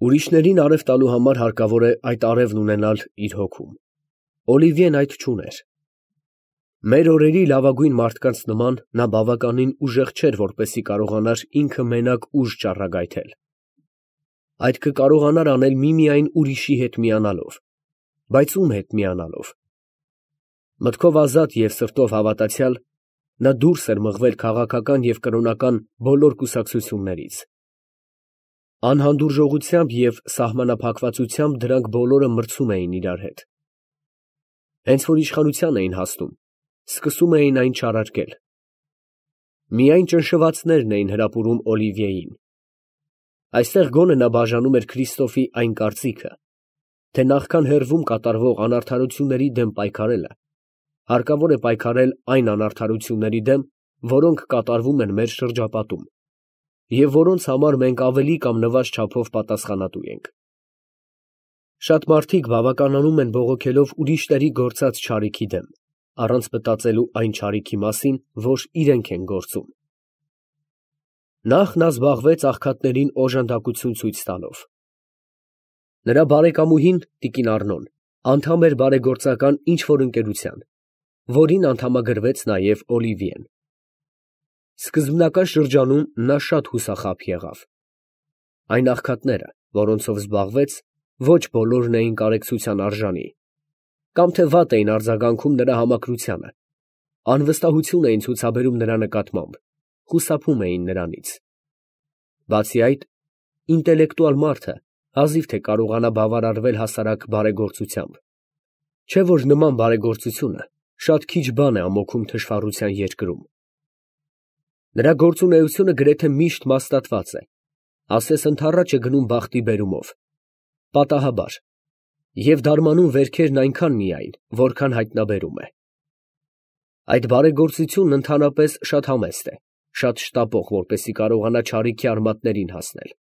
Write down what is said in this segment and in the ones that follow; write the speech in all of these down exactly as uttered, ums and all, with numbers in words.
Ուրիշներին արև տալու համար հարկավոր է այդ արևն ունենալ իր հոգում. Օլիվիեն այդ չուներ։ Մեր օրերի լավագույն մարդկանց նման նա բավականին ուժեղ չէր, որպեսզի կարողանար ինքը մենակ ուժ ճառագայթել. այդ կկարողանար անել միմիայն ուրիշի հետ միանալով, բայց ում հետ միանալով։ Մտքով ազատ և սրտով հավատացյալ, նա դուրս էր մղվել քաղաքական և կրոնական բոլոր կուսակցություններից։ Անհանդուրժողությամբ և սահմանափակվածությամբ դրանք բոլորը մրցում էին իրար հետ։ Հենց որ իշխանության էին հասնում, սկսում էին այն չարարկել։ Միայն ճնշվածներն էին հրապուրում Օլիվիեին։ Այստեղ գոնե նա բաժանում էր Քրիստոֆի այն կարծիքը, թե նախքան հեռվում կատարվող անարդարությունների դեմ պայքարելը, հարկավոր է պայքարել այն անարդարությունների դեմ, որոնք կատարվում են մեր շրջապատում, և որոնց համար մենք ավելի կամ նվազ չափով պատասխանատու ենք։ Շատ մարդիկ բավականանում են բողոքելով ուրիշների գործած չարիքի դեմ, առանց մտածելու այն չարիքի մասին, որ իրենք են գործում։ Նախ նա զբաղվեց աղքատներին օժանդակություն ցույց տալով։ Նրա բարեկամուհին տիկին Առնոն անդամ էր բարեգործական ինչ֊որ ընկերության, որին անդամագրվեց նաև Օլիվիեն։ Սկզբնական շրջանում նա շատ հուսախաբ եղավ։ Այն աղքատները, որոնցով զբաղվեց, ոչ բոլորն էին կարեկցության արժանի, կամ թե վատ էին արձագանքում նրա համակրությանը, անվստահություն էին ցուցաբերում նրա նկատմամբ, խուսափում էին նրանից։ Բացի այդ, ինտելեկտուալ մարդը հազիվ թե կարողանա բավարարվել հասարակ բարեգործությամբ, չէ՞ որ նման բարեգործությունը շատ քիչ բան է ամոքում թշվառության երկրում։ Նրա գործունեությունը գրեթե միշտ մաստատված է, ասես ընդառաջ է գնում բախտի բերումով, պատահաբար, և դարմանում վերքերն այնքան միայն, որքան հայտնաբերում է։ Այդ բարեգործությունն ընդհանրապես շատ համեստ է, շատ շտապող, որպեսզի կարողանա չարիքի արմատներին հասնել։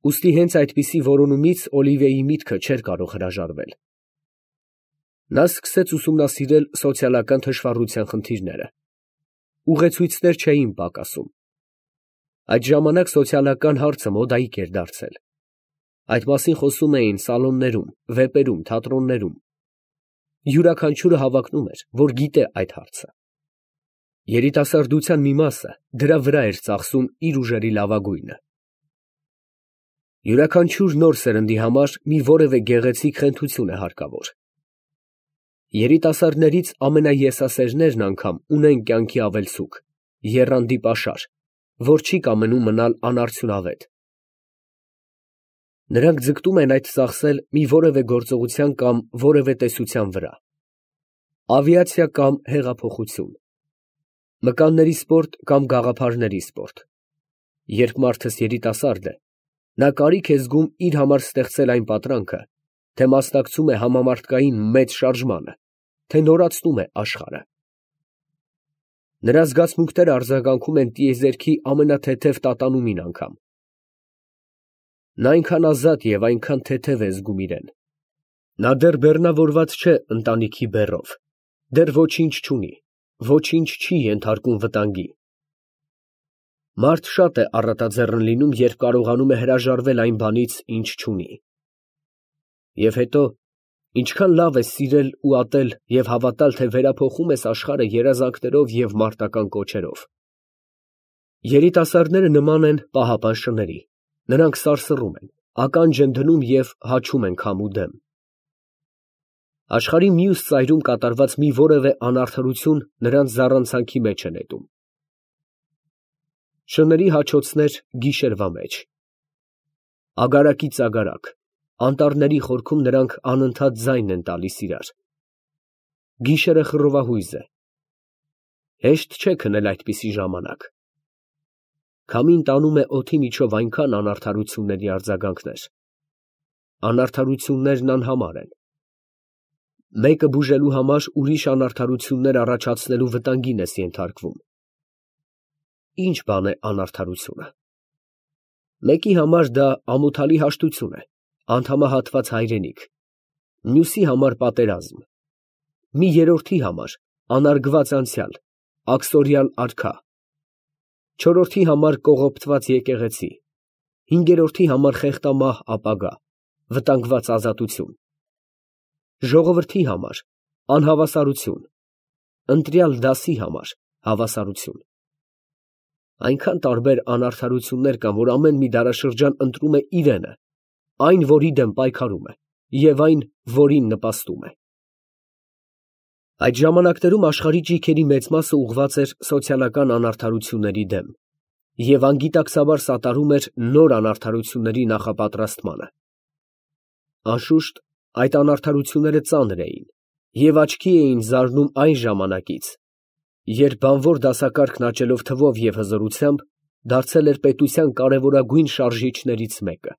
Ուստի հենց այդպիսի որոնումից Օլիվիեի միտքը չէր կարող հրաժարվել։ Նա սկսեց ուսումնասիրել սոցիալական թշվառության խնդիրները։ Ուղեցույցներ չէին պակասում։ Այդ ժամանակ սոցիալական հարցը մոդայիկ էր դարձել։ Այդ մասին խոսում էին սալոններում, վեպերում, թատրոններում։ Յուրաքանչյուրը հավակնում էր, որ գիտե այդ հարցը։ Երիտասարդության մի մասը դրա վրա էր ծախսում իր ուժերի լավագույնը։ Յուրաքանչյուր նոր սերնդի համար մի որևէ գեղեցիկ խենթություն է հարկավոր։ Երիտասարդներից ամենաեսասերներն անգամ ունեն կյանքի ավելցուկ, եռանդի պաշար, որ չի կամենում մնալ անարդյունավետ։ Նրանք ձգտում են այդ ծախսել մի որևէ գործողության կամ որևէ տեսության վրա։ Ավիացիա կամ հեղափոխություն, մկանների սպորտ կամ գաղափարների սպորտ։ Երբ մարդս երիտասարդ է, նա կարիք է զգում իր համար ստեղծել այն պատրանքը, թե մասնակցում է համամարտկային մեծ շարժմանը, թե նորացնում է աշխարհը։ Նրա զգացմունքները արձագանքում են տիեզերքի ամենաթեթև տատանումին անգամ։ Նա այնքան ազատ և այնքան թեթև է զգում իրեն։ Նա դեռ բեռնավորված չէ ընտանիքի բեռով, դեռ ոչինչ չունի, ոչինչ չի ենթարկում վտանգի։ Մարդ շատ է առատաձեռն լինում, երբ կարողանում է հրաժարվել այն բանից, ինչ չունի։ Եվ հետո, ինչքան լավ է սիրել ու ատել և հավատալ, թե վերափոխում ես աշխարհը երազանքներով և մարտական կոչերով։ Երիտասարդները նման են պահապան շների, նրանք սարսռում են, ականջ են դնում և հաչում են քամ ու դեմ։ Աշխարհի մյուս ծայրում կատարված մի որևէ անարդարություն նրանց զառանցանքի մեջ է նետում։ Շների հաչոցներ գիշերվա մեջ։ Ագարակից ագարակ, անտառների խորքում նրանք անընդհատ ձայն են տալիս իրար։ Գիշերը խռովահույզ է։ Հեշտ չէ քնել այդպիսի ժամանակ։ Քամին տանում է օդի միջով այնքան անարդարությունների արձագանքներ։ Անարդարություններն անհամար են։ Մեկը բուժելու համար ուրիշ անարդարություններ առաջացնելու վտանգին ես ենթարկվում։ Ի՞նչ բան է անարդարությունը։ Մեկի համար դա ամոթալի հաշտություն է, անդամահատված հայրենիք, մյուսի համար պատերազմ, մի երրորդի համար անարգված անցյալ, աքսորյալ արքա, չորրորդի համար կողոպտված եկեղեցի, հինգերորդի համար խեղտամահ ապագա, վտանգված ազատություն, ժողովրդի համար անհավասարություն, ընտրյալ դասի համար հավասարություն։ Այնքան տարբեր անարդարություններ կան, որ ամեն մի դարաշրջան ընտրում է իրենը, այն, որի դեմ պայքարում է, և այն, որին նպաստում է։ Այդ ժամանակներում աշխարհի ճիգերի մեծ մասը ուղղված էր սոցիալական անարդարությունների դեմ և անգիտակցաբար սատարում էր նոր անարդարությունների նախապատրաստմանը։ Անշուշտ, այդ անարդարությունները ծանր էին և աչքի էին զարնում այն ժամանակից, երբ բանվոր դասակարգն աճելով թվով և հզորությամբ, դարձել էր պետության կարևորագույն շարժիչներից մեկը։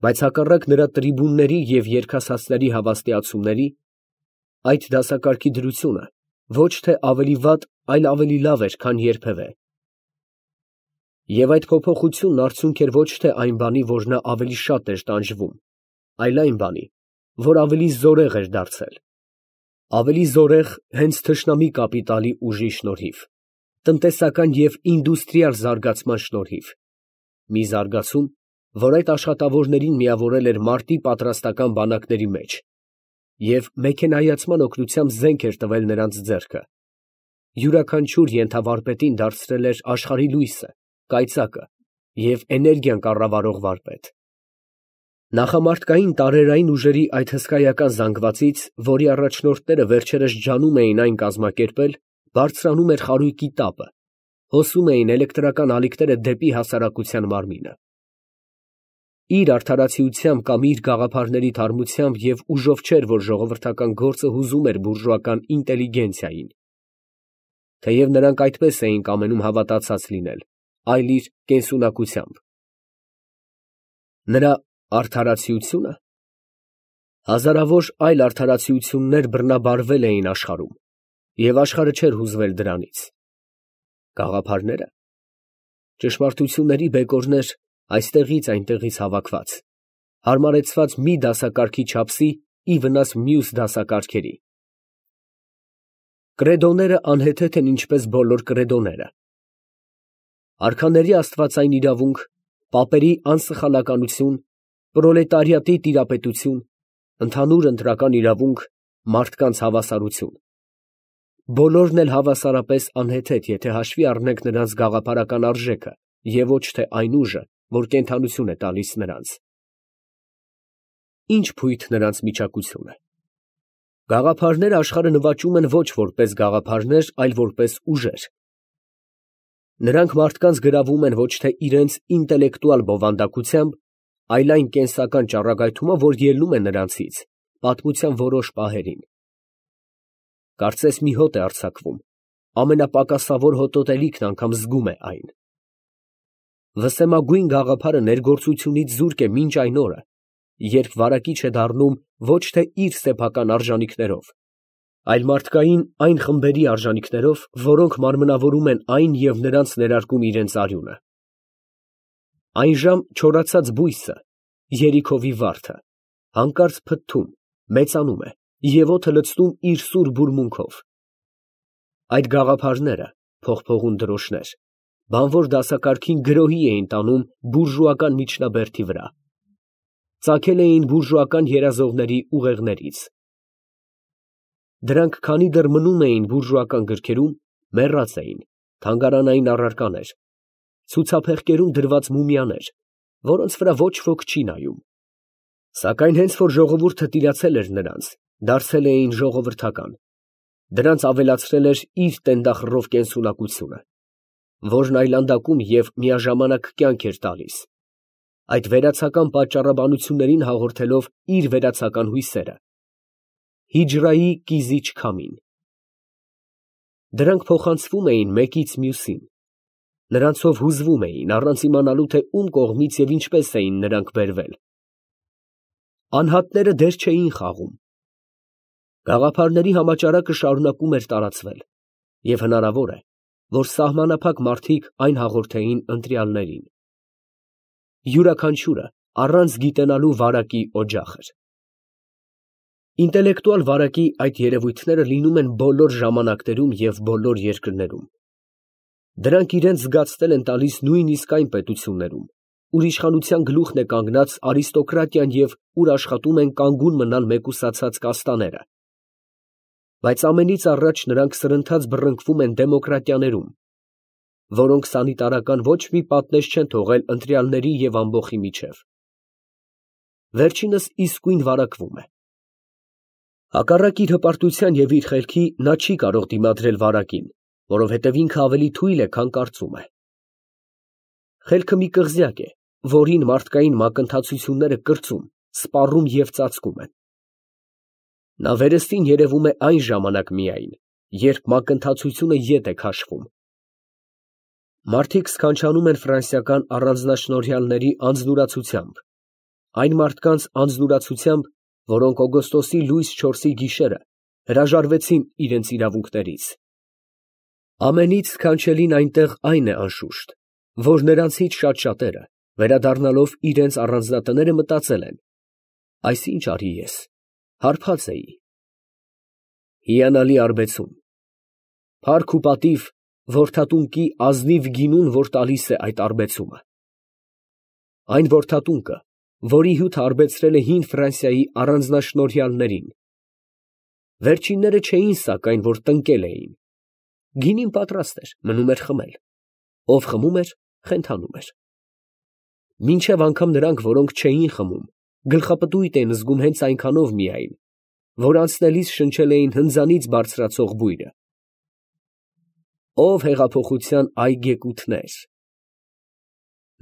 Բայց հակառակ նրա տրիբունների և երգասացների հավաստիացումների, այդ դասակարգի դրությունը ոչ թե ավելի վատ, այլ ավելի լավ էր, քան երբևէ։ Եվ այդ փոփոխությունն արդյունք էր ոչ թե այն բանի, որ նա ավելի շատ էր տանջվում, այլ այն բանի, որ ավելի զորեղ էր դարձել, ավելի զորեղ հենց թշնամի կապիտալի ուժի շնորհիվ, տնտեսական և ինդուստրիալ զարգացման շնորհիվ, մի զարգացում, որ այդ աշխատավորներին միավորել էր մարտի պատրաստական բանակների մեջ և մեքենայացման օգնությամբ զենք էր տվել նրանց ձեռքը, յուրաքանչյուր ենթավարպետին դարձրել էր աշխարհի լույսը, կայծակը և էներգիան կառավարող վարպետ։ Նախամարտկային տարերային ուժերի այդ հսկայական զանգվածից, որի առաջնորդները վերջերս ջանում էին այն կազմակերպել, բարձրանում էր խարույկի տապը, հոսում էին էլեկտրական ալիքները դեպի հասարակության մարմինը։ Իր արդարացիությամբ կամ իր գաղափարների թարմությամբ և ուժով չէր, որ ժողովրդական գործը հուզում էր բուրժուական ինտելիգենցիային, թեև նրանք այդպես էին կամենում հավատացած լինել, այլ իր կենսունակությամբ։ Նրա արդարացիությունը։ Հազարավոր այլ արդարացիություններ բռնաբարվել էին աշխարհում, և աշխարհը չէր հուզվել դրանից։ Գաղափարները, ճշմարտությունների բեկորներ այստեղից այնտեղից հավաքված, հարմարեցված մի դասակարգի չափսի ի վնաս մյուս դասակարգերի։ Կրեդոները անհեթեթ են ինչպես բոլոր կրեդոները։ Արքաների աստվածային իրավունք, պապերի անսխալականություն, պրոլետարիատի տիրապետություն, ընդհանուր ընտրական իրավունք, մարդկանց հավասարություն։ Բոլորն էլ հավասարապես անհեթեթ, եթե հաշվի առնենք նրանց գաղափարական արժեքը և ոչ թե այն ուժը, որ կենդանություն է տալիս նրանց։ Ի՞նչ փույթ նրանց միջակությունը։ Գաղափարները աշխարհը նվաճում են ոչ որպես գաղափարներ, այլ որպես ուժեր։ Նրանք մարդկանց գրավում են ոչ թե իրենց ինտելեկտուալ բովանդակությամբ, այլ այն կենսական ճառագայթումով, որ ելնում է նրանցից պատմության որոշ պահերին։ Կարծես մի հոտ է արձակվում, ամենապակասավոր հոտոտելիքն անգամ զգում է այն։ Վսեմագույն գաղափարը ներգործությունից զուրկ է մինչ այն օրը, երբ վարակիչ է դառնում ոչ թե իր սեփական արժանիքներով, այլ մարդկային այն խմբերի արժանիքներով, որոնք մարմնավորում են այն և նրանց ներարկում իրենց արյունը։ Այնժամ չորացած բույսը, երիքովի վարդը, հանկարծ փթթում, մեծանում է և օդը լցնում իր սուր բուրմունքով։ Այդ գաղափարները, փողփողուն դրոշներ, բանվոր դասակարգին գրոհի էին տանում բուրժուական միջնաբերդի վրա, ծագել էին բուրժուական երազողների ուղեղներից։ Դրանք քանի դեռ մնում էին բուրժուական գրքերում, մեռած էին, թանգարանային առարկաներ, ցուցափեղկերում դրված մումիաներ, որոնց վրա ոչ ոք չի նայում։ Սակայն հենց որ ժողովուրդը տիրացել էր նրանց, դարձել էին ժողովրդական, դրանց ավելացրել էր իր տենդախռով կենսունակությունը, որն այլանդակում և միաժամանակ կյանք էր տալիս, այդ վերացական պատճառաբանություններին հաղորդելով իր վերացական հույսերը, հիջրայի կիզիչ քամին։ Դրանք փոխանցվում էին մեկից մյուսին, նրանցով հուզվում էին, առանց իմանալու, թե ում կողմից և ինչպես էին նրանք բերվել։ Անհատները դեր չէին խաղում։ Գաղափարների համաճարակը շարունակում էր տարածվել, և հնարավոր է, որ սահմանափակ մարդիկ այն հաղորդեին ընտրյալներին։ Յուրաքանչյուրը առանց գիտենալու վարակի օջախ էր։ Ինտելեկտուալ վարակի այդ երևույթները լինում են բոլոր ժամանակներում և բոլոր երկրներում։ Դրանք իրենց զգացնել են տալիս նույնիսկ այն պետություններում, ուր իշխանության գլուխն է կանգնած արիստոկրատիան և ուր աշխատում են կանգուն մնալ մեկուսացած կաստաները. բայց ամենից առաջ նրանք սրընթաց բռնկվում են դեմոկրատիաներում, որոնք սանիտարական ոչ մի պատնեշ չեն թողել ընտրյալների և ամբոխի միջև. վերջինս իսկույն վարակվում է։ Հակառակ իր հպարտության և իր խելքի նա չի կարող դիմադրել վարակին, որովհետև ինքը ավելի թույլ է, քան կարծում է։ Խելքը մի կղզյակ է, որին մարդկային մակընթացությունները կրծում, սպառում և ծածկում են։ Նա վերստին երևում է այն ժամանակ միայն, երբ մակընթացությունը ետ է քաշվում։ Մարդիկ սքանչանում են ֆրանսիական առանձնաշնորհյալների անձնուրացությամբ, այն մարդկանց անձնուրացությամբ, որոնք օգոստոսի լույս չորսի գիշերը հրաժարվեցին իրենց իրավունքներից։ Ամենից սքանչելին այնտեղ այն է, անշուշտ, որ նրանցից շատ շատերը, վերադառնալով իրենց առանձնատները, մտածել են. այս ինչ արի ես, հարբած էի։ Հիանալի արբեցում, փառք ու պատիվ որդատունկի ազնիվ գինուն, որ տալիս է այդ արբեցումը։ Այն որդատունկը, որի հյութը արբեցրել է հին Ֆրանսիայի առանձնաշնորհյալներին։ Վերջինները չէին սակայն, որ տնկել էին։ Գինին պատրաստ էր, մնում էր խմել, ով խմում էր, խենթանում էր։ Մինչև անգամ նրանք, որոնք չէին խմում, գլխապտույտ էին զգում հենց այնքանով միայն, որ անցնելիս շնչել էին հնձանից բարձրացող բույրը։ Ո՜վ հեղափոխության այգեկութներ։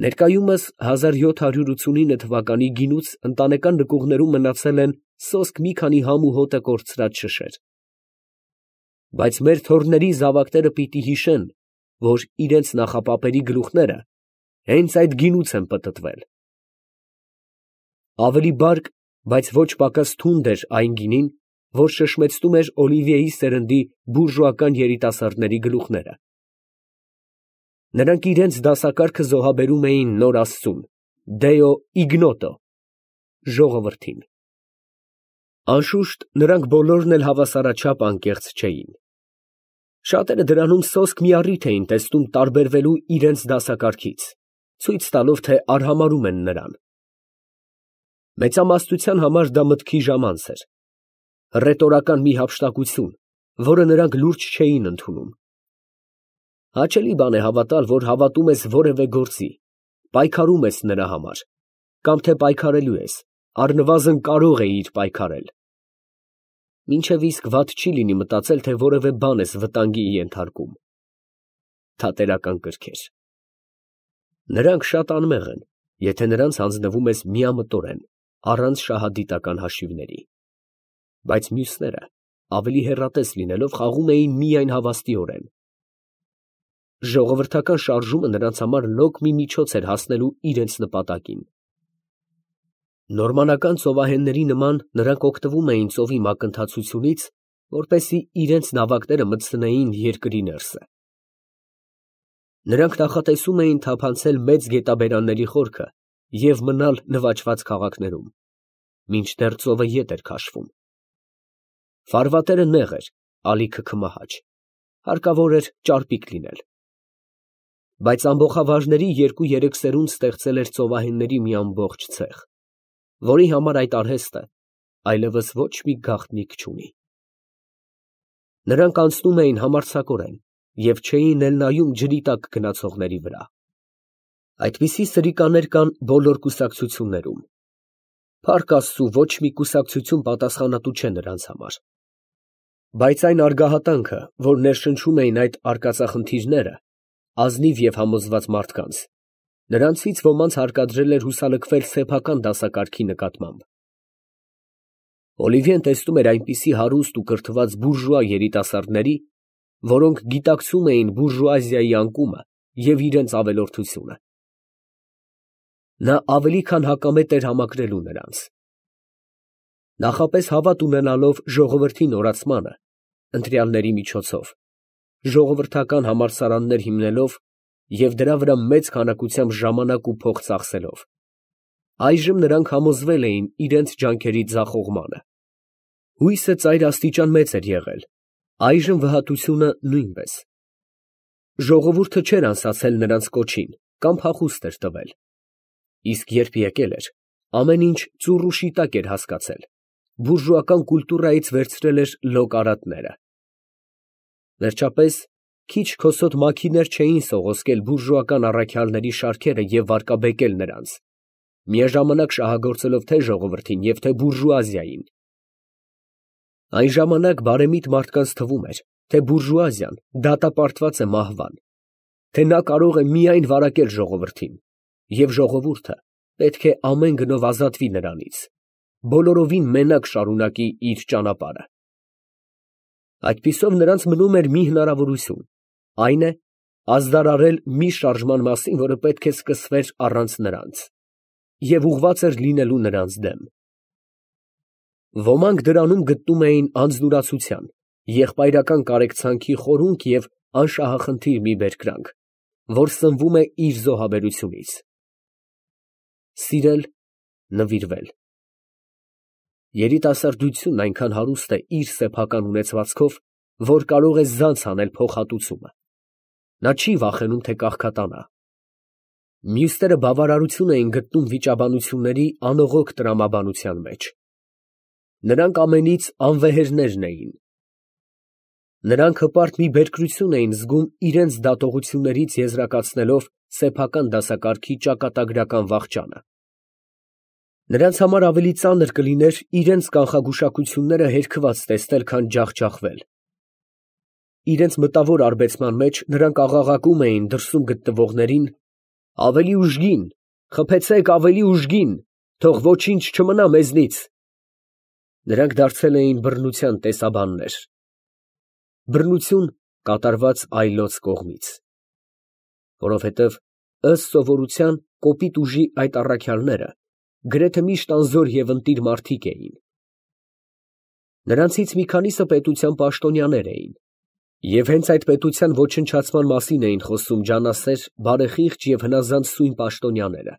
Ներկայումս հազար յոթ հարյուր ութսունինը թվականի գինուց ընտանեկան նկուղներում մնացել են սոսկ մի քանի համ ու հոտը կորցրած շշեր։ Բայց մեր թոռների զավակները պիտի հիշեն, որ իրենց նախապապերի գլուխները հենց այդ գինուց են պտտվել։ Ավելի բարկ, բայց ոչ պակաս թունդ էր այն գինին, որ շշմեցնում էր Օլիվիեի սերնդի բուրժուական երիտասարդների գլուխները։ Նրանք իրենց դասակարգը զոհաբերում էին նոր աստծուն, Դեո իգնոտո, ժողովրդին։ Անշուշտ, նրանք բոլորն էլ հավասարաչափ անկեղծ չէին։ Շատերը դրանում սոսկ մի առիթ էին տեսնում տարբերվելու իրենց դասակարգից, ցույց տալով, թե արհամարհում են նրան։ Մեծամասնության համար դա մտքի ժամանց էր, հռետորական մի հափշտակություն, որը նրանք լուրջ չէին ընդունում։ Հաճելի բան է հավատալ, որ հավատում ես որևէ գործի, պայքարում ես նրա համար, կամ թե պայքարելու ես, առնվազն կարող էիր պայքարել։ Մինչև իսկ վատ չի լինի մտածել, թե որևէ բան ես վտանգի ենթարկում։ Թատերական կրքեր։ Նրանք շատ անմեղ են, եթե նրանց հանձնվում ես միամտորեն, առանց շահադիտական հաշիվների։ Բայց մյուսները, ավելի հեռատես լինելով, խաղում էին միայն հավաստիորեն։ Ժողովրդական շարժումը նրանց համար լոկ մի միջոց էր հասնելու իրենց նպատակին։ Նորմանական ծովահենների նման նրանք օգտվում էին ծովի մակընթացությունից, որպեսզի իրենց նավակները մտցնեին երկրի ներսը։ Նրանք նախատեսում էին թափանցել մեծ գետաբերանների խորքը և մնալ նվաճված քաղաքներում, մինչդեռ ծովը ետ էր քաշվում։ Ֆարվատերը նեղ էր, ալիքը քմահաճ, հարկավոր էր ճարպիկ լինել։ Բայց ամբոխավարների երկու֊երեք սերունդ ստեղծել էր ծովահենների մի ամբողջ ցեղ, որի համար այդ արհեստը այլևս ոչ մի գաղտնիք չունի։ Նրանք անցնում էին համարձակորեն և չէին էլ նայում ջրի տակ գնացողների վրա։ Այդպիսի սրիկաներ կան բոլոր կուսակցություններում։ Փառք Աստծու, ոչ մի կուսակցություն պատասխանատու չէ նրանց համար։ Բայց այն արգահատանքը, որ ներշնչում էին այդ արկածախնդիրները, ազնիվ և համոզված մարդկանց, նրանցից ոմանց հարկադրել էր հուսալքվել սեփական դասակարգի նկատմամբ։ Օլիվիեն տեսնում էր այնպիսի հարուստ ու կրթված բուրժուա երիտասարդների, որոնք գիտակցում էին բուրժուազիայի անկումը և իրենց ավելորդությունը։ Նա ավելի քան հակամետ էր համակրելու նրանց։ Նախապես հավատ ունենալով ժողովրդի նորացմանը, ընտրյալների միջոցով, ժողովրդական համալսարաններ հիմնելով և դրա վրա մեծ քանակությամբ ժամանակ ու փող ծախսելով, այժմ նրանք համոզվել էին իրենց ջանքերի ձախողմանը։ Հույսը ծայրաստիճան մեծ էր եղել, այժմ վհատությունը նույնպես։ Ժողովուրդը չէր անսացել նրանց կոչին կամ փախուստ էր տվել, իսկ երբ եկել էր, ամեն ինչ ծուռ ու շիտակ էր հասկացել, բուրժուական կուլտուրայից վերցրել էր լոկ արատները։ Վերջապես, քիչ քոսոտ մաքիներ չէին սողոսկել բուրժուական առաքյալների շարքերը և վարկաբեկել նրանց, միաժամանակ շահագործելով թե ժողովրդին և թե բուրժուազիային։ Այն ժամանակ բարեմիտ մարդկանց թվում էր, թե բուրժուազիան դատապարտված է մահվան, թե նա կարող է միայն վարակել ժողովրդին, և ժողովուրդը պետք է ամեն գնով ազատվի նրանից, բոլորովին մենակ շարունակի իր ճանապարհը։ Այդպիսով նրանց մնում էր մի հնարավորություն, այն է, ազդարարել մի շարժման մասին, որը պետք է սկսվեր առանց նրանց, և ուղղված էր լինելու նրանց դեմ։ Ոմանք դրանում գտնում էին անձնուրացության, եղբայրական կարեկցանքի խորունկ և անշահախնդիր մի բերկրանք, որ սնվում է իր զոհաբերությունից։ Սիրել, նվիրվել։ Երիտասարդությունն այնքան հարուստ է իր սեփական ունեցվածքով, որ կարող է զանց անել փոխհատուցումը. նա չի վախենում, թե կաղքատանա։ Մյուսները բավարարություն էին գտնում վիճաբանությունների անողոք տրամաբանության մեջ։ Նրանք ամենից անվեհերներն էին։ Նրանք հպարտ մի բերկրություն էին զգում իրենց դատողություններից եզրակացնելով սեփական դասակարգի ճակատագրական վախճանը։ Նրանց համար ավելի ծանր կլիներ իրենց կանխագուշակությունները հերքված տեսնել, քան ջախջախվել։ Իրենց մտավոր արբեցման մեջ նրանք աղաղակում էին դրսում գտնվողներին. «Ավելի ուժգին, խփեցեք ավելի ուժգին, թող ոչինչ չմնա մեզնից»։ Նրանք դարձել էին բռնության տեսաբաններ։ Բռնություն կատարված այլոց կողմից։ Որովհետև ըստ սովորության կոպիտ ուժի այդ առաքյալները գրեթե միշտ անզոր և ընտիր մարդիկ էին։ Նրանցից մի քանիսը պետության պաշտոնյաներ էին, և հենց այդ պետության ոչնչացման մասին էին խոսում ջանասեր, բարեխիղճ և հնազանդ սույն պաշտոնյաները։